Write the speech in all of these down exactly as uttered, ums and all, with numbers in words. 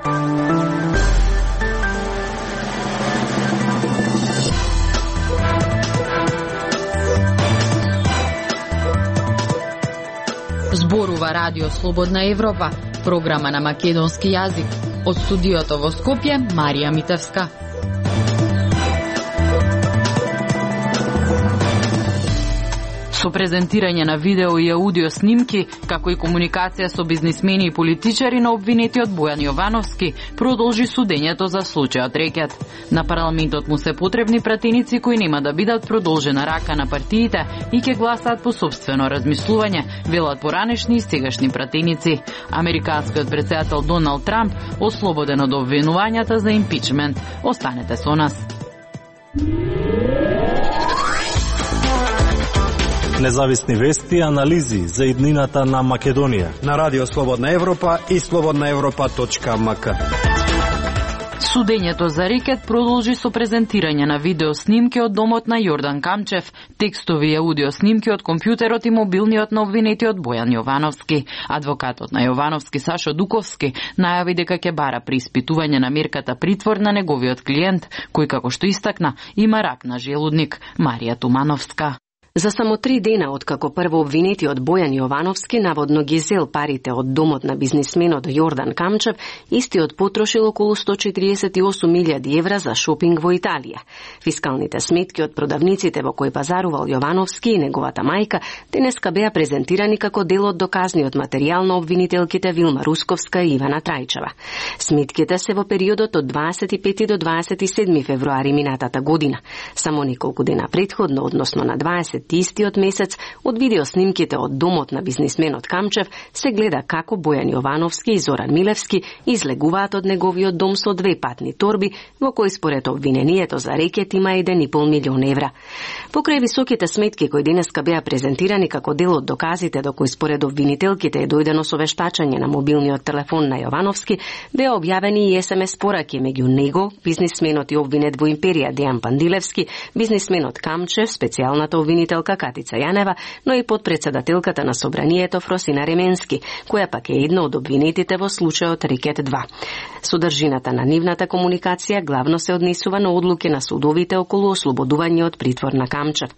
Зборува Радио Слободна Европа, програма на македонски јазик. Од студиото во Скопје, Марија Митевска. Со презентирање на видео и аудио снимки, како и комуникација со бизнисмени и политичари на обвинетиот Бојан Јовановски, продолжи судењето за случајот Рекет. На парламентот му се потребни пратеници кои нема да бидат продолжена рака на партиите и ќе гласаат по собствено размислување, велат поранешни и сегашни пратеници. Американскиот претседател Доналд Трамп ослободен од обвинувањата за импичмент. Останете со нас. Независни вести и анализи за иднината на Македонија на Радио Слободна Европа и слободна европа точка ем ка. Судењето за Рекет продолжи со презентирање на видео снимки од домот на Јордан Камчев, текстови и аудио снимки од компјутерот и мобилниот на обвинетиот Бојан Јовановски. Адвокатот на Јовановски Сашо Дуковски најави дека ќе бара преиспитување на мерката притвор на неговиот клиент, кој како што истакна има рак на желудник. Марија Тумановска. За само три дена откако прво обвинетиот Бојан Јовановски наводно ги зел парите од домот на бизнисменот Јордан Камчев, истиот потрошил околу сто четириесет и осум илјади евра за шопинг во Италија. Фискалните сметки од продавниците во кои пазарувал Јовановски и неговата мајка денеска беа презентирани како дел од доказниот материјал на обвинителките Вилма Русковска и Ивана Трајчева. Сметките се во периодот од дваесет и пети до дваесет и седми февруари минатата година. Само неколку дена претходно, односно на дваесет истиот месец, од видеоснимките од домот на бизнисменот Камчев се гледа како Бојан Јовановски и Зоран Милевски излегуваат од неговиот дом со две патни торби, во кои според обвинението за Рекет има еден и пол милион евра. Покрај високите сметки кои денеска беа презентирани како дел од доказите до кои според обвинителките е дојдено со вештачање на мобилниот телефон на Јовановски, беа објавени и ес ем ес пораки меѓу него, бизнисменот и обвинет во империја Дејан Пандилевски, бизнисменот Камчев, специјалната обвинителка Катица Јанева, но и подпредседателката на собранието Фросина Ременски, која пак е една од обвинетите во случајот Рекет два. Содржината на нивната комуникација главно се однесува на одлуки на судовите околу ослободување од притвор на Камчев.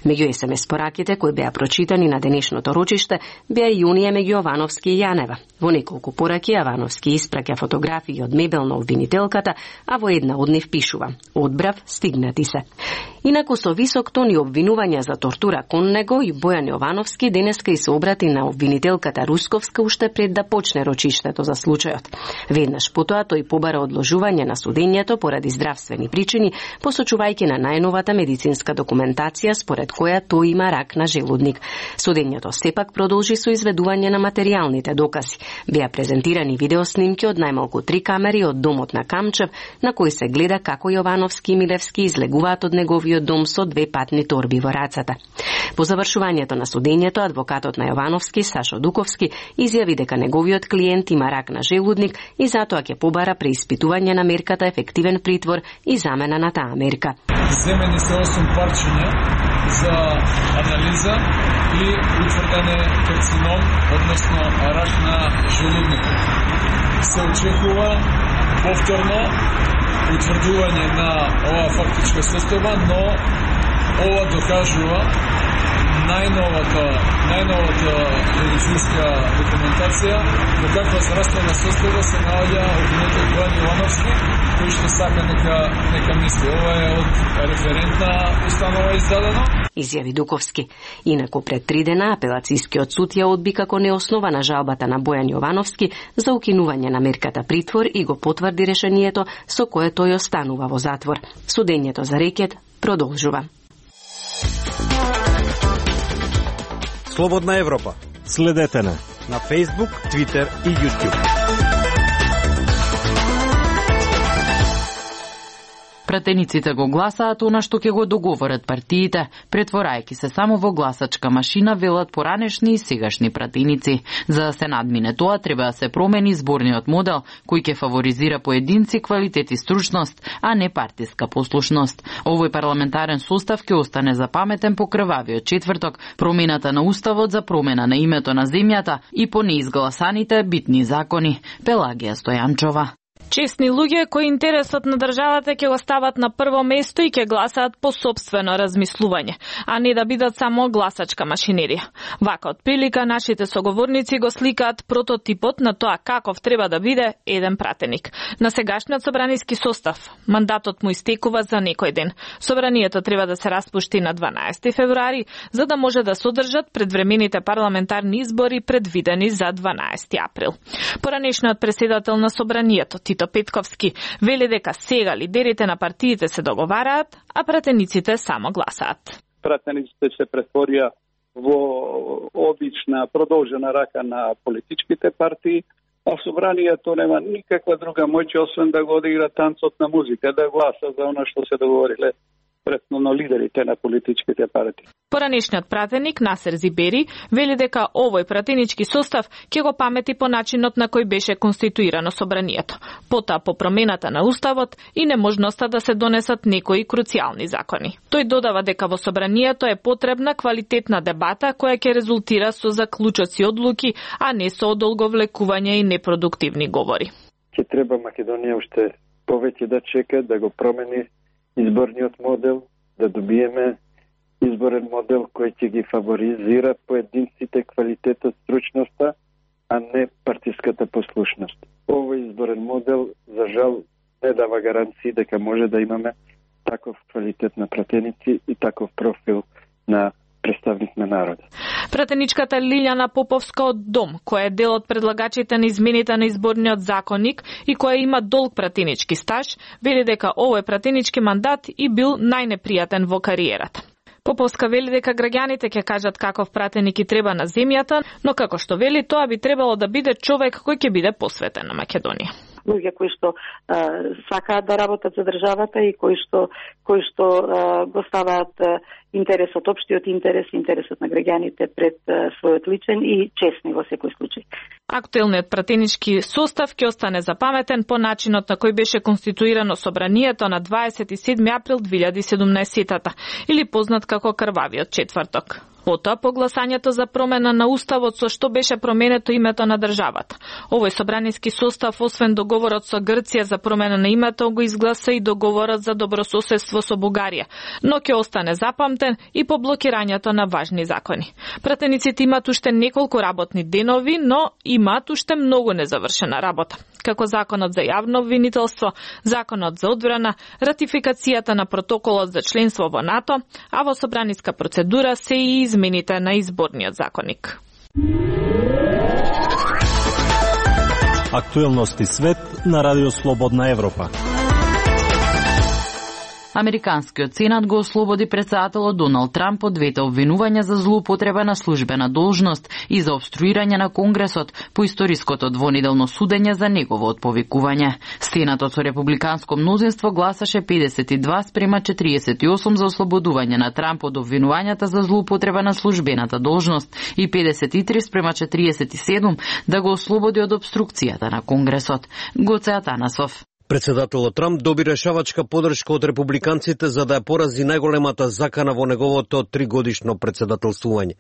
Меѓу ес ем ес пораките кои беа прочитани на денешното рочиште беа и оние меѓу Јовановски и Јанева. Во неколку пораки Јовановски испраќа фотографии од мебел на обвинителката, а во една од нив пишува: "Одбрав, стигнати се." Инаку со висок тон и обвинувања за тортура кон него и Бојан Јовановски денеска и се обрати на обвинителката Русковска уште пред да почне рочиштето за случајот. Веднаш потоа тој побара одложување на судењето поради здравствени причини, посочувајќи на најновата медицинска документација според која тој има рак на желудник. Судењето сепак продолжи со изведување на материјалните докази. Беа презентирани видеоснимки од најмалку три камери од домот на Камчев, на кои се гледа како Јовановски и Милевски излегуваат од неговиот дом со две патни торби во рацата. По завршувањето на судењето, адвокатот на Јовановски, Сашо Дуковски, изјави дека неговиот клиент има рак на желудник и затоа ќе побара преиспитување на мерката ефективен притвор и замена на таа мерка. Земени се осум парчиња за анализа и утврдене карцином, односно рак на желудникот. Се очекува повторно утврдување на оваа фактичка состојба, но ова докажува најновата, најновата медицинска документација до каква здравствена состојба се наоѓа обвинетот Бојан Јовановски, кој што сака нека, нека мисли. Ова е од референтна установа издадено. Изјави Дуковски. Инаку пред три дена апелацијскиот суд ја одби како неоснована жалбата на Бојан Јовановски за укинување на мерката притвор и го потврди решението со кое тој останува во затвор. Судењето за Рекет продолжува. Слободна Европа. Следете на на Facebook, Twitter и YouTube. Пратениците го гласаат она што ќе го договорат партиите, претворајќи се само во гласачка машина, велат поранешни и сегашни пратеници. За да се надмине тоа, треба да се промени зборниот модел, кој ќе фаворизира поединци, квалитет и стручност, а не партиска послушност. Овој парламентарен состав ќе остане запаметен по крвавиот четврток, промената на уставот за промена на името на земјата и по неизгласаните битни закони. Пелагија Стојанчова. Честни луѓе кои интересот на државата ќе го стават на прво место и ќе гласаат по сопствено размислување, а не да бидат само гласачка машинерија. Вака од прилика нашите соговорници го сликаат прототипот на тоа каков треба да биде еден пратеник. На сегашниот собраниски состав мандатот му истекува за некој ден. Собранието треба да се распушти на дванаесети февруари за да може да содржат предвремените парламентарни избори предвидени за дванаесети април. Поранешниот председател на собранието Тито Петковски вели дека сега лидерите на партиите се договараат, а пратениците само гласаат. Пратениците се претворија во обична продолжена рака на политичките партии, а собранието нема никаква друга моќ освен да го одигра танцот на музика, да гласа за она што се договориле предно лидерите на политичките партии. Поранешниот пратеник Насер Зибери вели дека овој пратенички состав ќе го памети по начинот на кој беше конституирано собранието, потоа по промената на уставот и неможноста да се донесат некои круцијални закони. Тој додава дека во собранието е потребна квалитетна дебата која ќе резултира со заклучоци одлуки, а не со одолговлекување и непродуктивни говори. Ќе треба Македонија уште повеќе да чека да го промени изборниот модел, да добиеме изборен модел кој ќе ги фаворизира поединците, квалитетот, стручноста, а не партиската послушност. Овој изборен модел, за жал, не дава гаранции дека може да имаме таков квалитет на пратеници и таков профил на представник на народот. Пратеничката Лилјана Поповска од Дом, која е дел од предлагачите на измените на изборниот законник и која има долг пратенички стаж, вели дека овој пратенички мандат и бил најнепријатен во кариерата. Поповска вели дека граѓаните ќе кажат каков пратеник и треба на земјата, но како што вели, тоа би требало да биде човек кој ќе биде посветен на Македонија. Луѓе кои што а, сакаат да работат за државата и кои што кои што а, го ставаат а, интересот, општиот интерес, интересот на граѓаните пред а, својот личен и честни во секој случај. Актуелниот пратенички состав ќе остане запаметен по начинот на кој беше конституирано собранието на дваесет и седми април две илјади и седумнаесетата, или познат како крвавиот четврток. Потоа по гласањето за промена на уставот со што беше променето името на државата. Овој собраниски состав, освен договорот со Грција за промена на името, го изгласа и договорот за добрососедство со Бугарија, но ќе остане запамтен и по блокирањето на важни закони. Пратениците имаат уште неколку работни денови, но имаат уште многу незавршена работа, како законот за јавно обвинителство, законот за одбрана, ратификацијата на протоколот за членство во НАТО, а во собраниска процедура се и измените на изборниот законник. Актуелности свет на Радио Слободна Европа. Американскиот сенат го ослободи председателот Доналд Трамп од двете обвинувања за злоупотреба на службена должност и за обструирање на Конгресот по историското двонеделно судење за негово отповикување. Сенатот со републиканско мнозинство гласаше педесет и два спрема четириесет и осум за ослободување на Трамп од обвинувањата за злоупотреба на службената должност и педесет и три спрема четириесет и седум да го ослободи од обструкцијата на Конгресот. Гоце Атанасов. Председателот Трамп доби решавачка поддршка од републиканците за да ја порази најголемата закана во неговото тригодишно председателствување.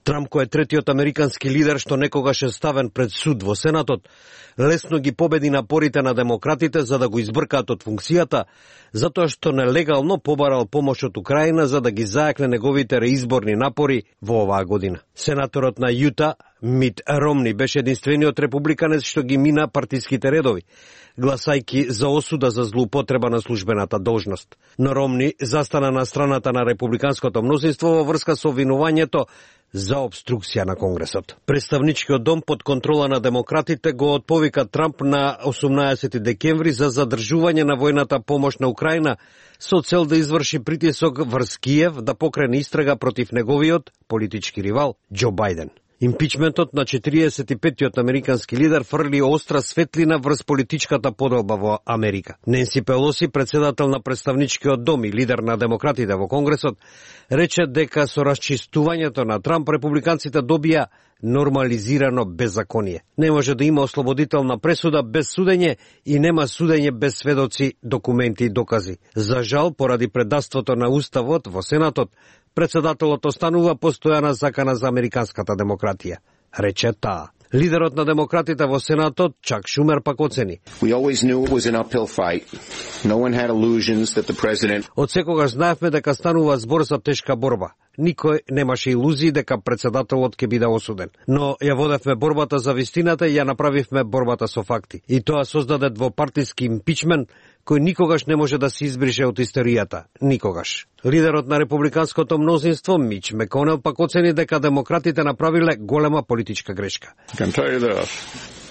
Трамп, кој е третиот американски лидер што некогаш е ставен пред суд во Сенатот, лесно ги победи напорите на демократите за да го избркаат од функцијата, затоа што нелегално побарал помош од Украина за да ги зајакне неговите реизборни напори во оваа година. Сенаторот на Јута, Мит Ромни, беше единствениот републиканец што ги мина партиските редови, гласајки за осуда за злоупотреба на службената должност. Но Ромни застана на страната на републиканското мнозинство во врска со обвинувањето за обструкција на Конгресот. Представничкиот дом под контрола на демократите го отповика Трамп на осумнаесети декември за задржување на војната помош на Украина со цел да изврши притисок врз Киев да покрене истрага против неговиот политички ривал Џо Бајден. Импичментот на четириесет и петтиот американски лидер фрли остра светлина врз политичката поделба во Америка. Ненси Пелоси, председател на представничкиот дом и лидер на демократите во Конгресот, рече дека со расчистувањето на Трамп републиканците добија нормализирано беззаконие. Не може да има ослободителна пресуда без судење и нема судење без сведоци, документи и докази. За жал, поради предавството на уставот во Сенатот, председателот останува постојана закана за американската демократија, рече таа. Лидерот на демократите во Сенатот, Чак Шумер, пак оцени: We always knew it was an uphill fight. No one had illusions that the president... Од секогаш знаевме дека станува збор за тешка борба. Никој немаше илузии дека председателот ќе биде осуден. Но ја водевме борбата за вистината и ја направивме борбата со факти. И тоа создаде двопартиски импичмент кој никогаш не може да се избрише од историјата. Никогаш. Лидерот на републиканското мнозинство, Мич Меконел, пак оцени дека демократите направиле голема политичка грешка.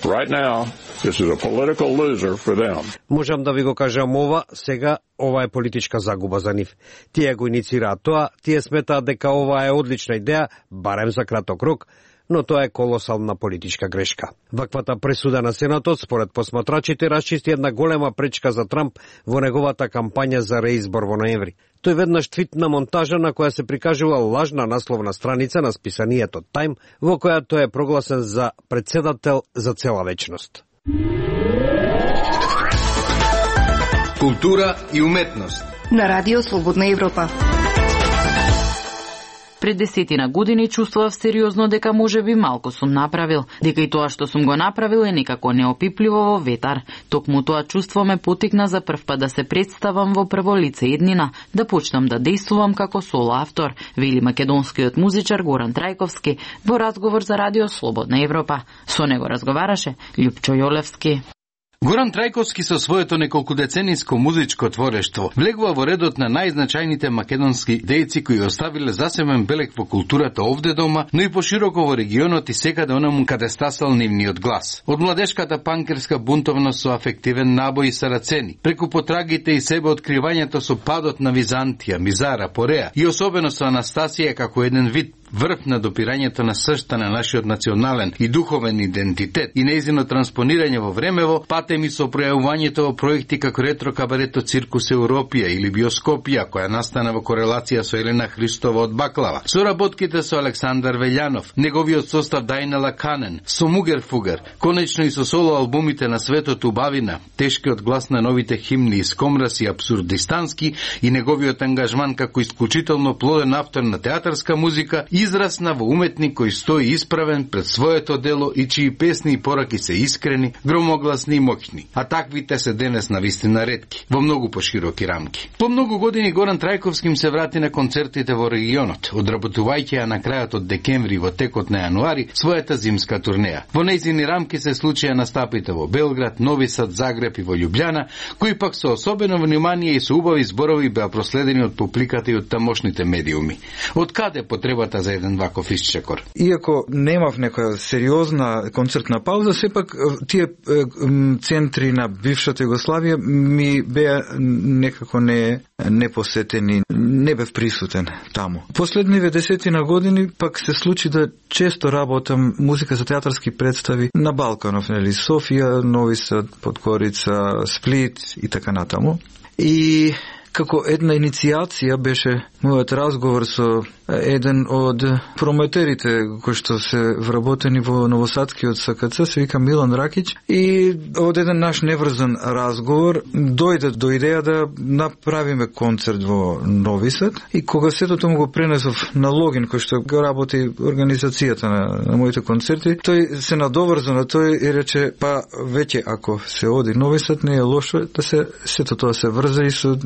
Right now, this is a political loser for them. Можам да ви го кажам ова, сега ова е политичка загуба за нив. Тие го иницираат тоа, тие сметаат дека ова е одлична идеја, барем за краток рок, но тоа е колосална политичка грешка. Ваквата пресуда на Сенатот, според посматрачите, расчисти една голема пречка за Трамп во неговата кампања за реизбор во ноември. Тој веднаш твитна монтажа на која се прикажува лажна насловна страница на списанието Time, во која тој е прогласен за председател за цела вечност. Култура и уметност на Радио Слободна Европа. Пред десетина години чувствував сериозно дека може би малку сум направил, дека и тоа што сум го направил е некако неопипливо во ветар. Токму тоа чувство ме потикна за прв пат да се представам во прво лице еднина, да почнам да дејствувам како соло автор, вели македонскиот музичар Горан Трајковски во разговор за Радио Слободна Европа. Со него разговараше Љупчо Јолевски. Горан Трајковски со своето неколкудецениско музичко творештво влегува во редот на најзначајните македонски дејци кои оставиле засебен белег во културата овде дома, но и пошироко во регионот и секаде онаму каде стасал нивниот глас. Од младешката панкерска бунтовност со афективен набој и сарацени, преку потрагите и себе откривањето со падот на Византија, Мизара, Пореа и особено со Анастасија како еден вид врв на допирањето на сршта на нашиот национален и духовен идентитет и нејзино транспонирање во времево, патеми со пројавувањето во проекти како ретро кабарето Циркус Европија или Биоскопија, која настана во корелација со Елена Христова од Баклава, со работките со Александар Велјанов, неговиот состав Дајнела Канен, со Мугер Фугер, конечно и со соло албумите на Светот Убавина, тешкиот глас на новите химни из Комрас и Абсурдистански и неговиот ангажман како исклучително плоден автор на театарска музика, израсна во уметник кој стои исправен пред своето дело и чии песни и пораки се искрени, громогласни и моќни, а таквите се денес на вистина ретки, во многу пошироки рамки. По многу години Горан Трајковски се врати на концертите во регионот, одработувајќи ја на крајот од декември и во текот на јануари својата зимска турнеја. Во нејзини рамки се случија настапите во Белград, Нови Сад, Загреб и во Љубљана, кои пак со особено внимание и со убави зборови беа проследени од публиката и од тамошните медиуми. Од каде потребата за еден ваков исчекор? Иако немав некоја сериозна концертна пауза, сепак тие центри на бившата Југославија ми беа некако не непосетени, не бев присутен таму. Последниве десетина години пак се случи да често работам музика за театарски представи на Балканов, нели, Софија, Нови Сад, Подкорица, Сплит и така натаму. И како една иницијација беше мојот разговор со еден од промотерите кои што се вработени во Новосадскиот СКЦ, се вика Милан Ракиќ, и од еден наш неврзан разговор дојде до идеја да направиме концерт во Нови Сад, и кога сето тоа го пренесов на Логин, кој што го работи организацијата на, на моите концерти, тој се надоврза на тој и рече, па веќе ако се оди Нови Сад, не е лошо да се сето тоа се врзе и со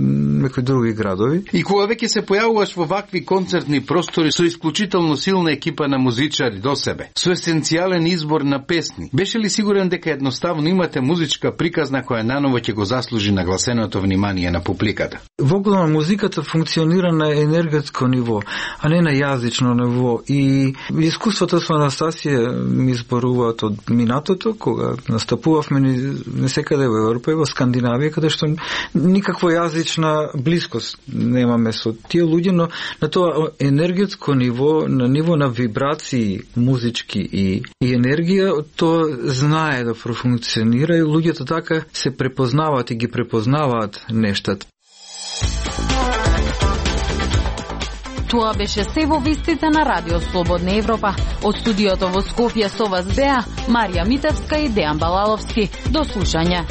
некои други градови. И кога веќе се појавуваш во вакви концертни простори со исклучително силна екипа на музичари до себе, со есенцијален избор на песни, беше ли сигурен дека едноставно имате музичка приказна која наново ќе го заслужи нагласеното внимание на публиката? Воглавно музиката функционира на енергетско ниво, а не на јазично ниво, и искуството со Анастасија ми зборуваат од минатото, кога настапувавме не секаде во Европа и во Скандинавија, каде што никаква јазична блискост немаме со тие луѓе, но на тоа енергетско ниво, на ниво на вибрации музички и, и енергија, тоа знае да профункционира и луѓето така се препознаваат и ги препознаваат нештата. Тоа беше се во вестите на Радио Слободна Европа. Од студиото во Скопје со вас беа Марија Митевска и Дејан Балаловски. До слушање.